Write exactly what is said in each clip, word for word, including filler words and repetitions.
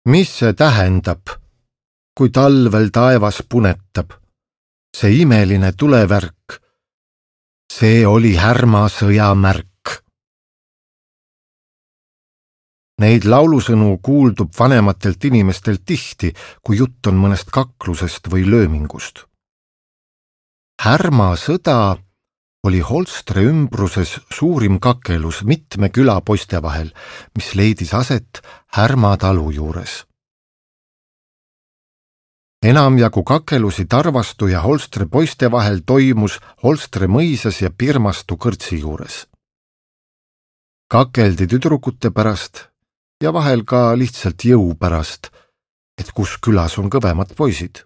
Mis see tähendab, kui talvel taevas punetab? See imeline tulevärk, see oli härma sõja märk. Neid laulusõnu kuuldub vanematelt inimestelt tihti, kui jutt on mõnest kaklusest või löömingust. Härma sõda oli Holstre ümbruses suurim kakelus mitme külapoiste vahel, mis leidis aset Härma talu juures. Enamjagu kakelusi Tarvastu ja Holstre poiste vahel toimus Holstre mõisas ja Pirmastu kõrtsi juures. Kakeldi tüdrukute pärast ja vahel ka lihtsalt jõu pärast, et kus külas on kõvemad poisid.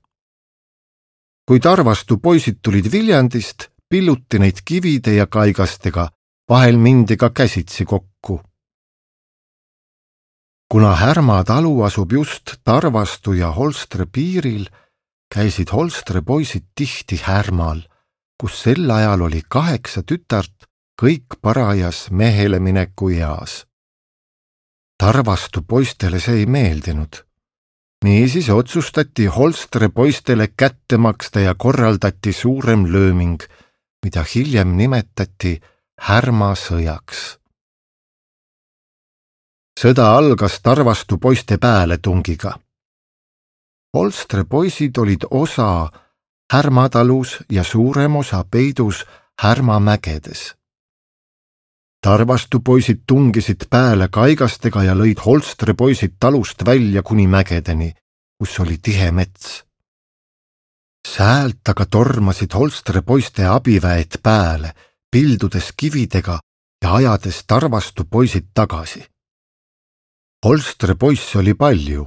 Kui Tarvastu poisid tulid Viljandist, pilluti neid kivide ja kaigastega, vahel mindi ka käsitsi kokku. Kuna Härma talu asub just Tarvastu ja Holstre piiril, käisid Holstre poisid tihti Härmal, kus sel ajal oli kaheksa tütart, kõik parajas mehele mineku eas. Tarvastu poistele see ei meeldinud. Niisiis otsustati Holstre poistele kätte maksta ja korraldati suurem lööming, mida hiljem nimetati Härma sõjaks. Sõda algas Tarvastu poiste pääletungiga. Holstre poisid olid osa Härma talus ja suurem osa peidus Härma mägedes. Tarvastu poisid tungisid pääle kaigastega ja lõid Holstre poisid talust välja kuni mägedeni, kus oli tihe mets. Säält aga tormasid Holstre poiste abiväed pääle, pildudes kividega ja ajades Tarvastu poisid tagasi. Holstre poisse oli palju,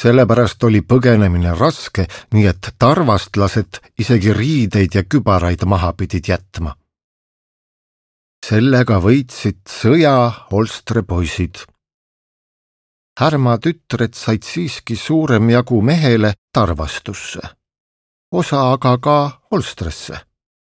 sellepärast oli põgenemine raske, nii et tarvastlased isegi riideid ja kübaraid maha pidid jätma. Sellega võitsid sõja Holstre poisid. Härma tütred said siiski suurem jagu mehele Tarvastusse, osa aga ka Holstresse.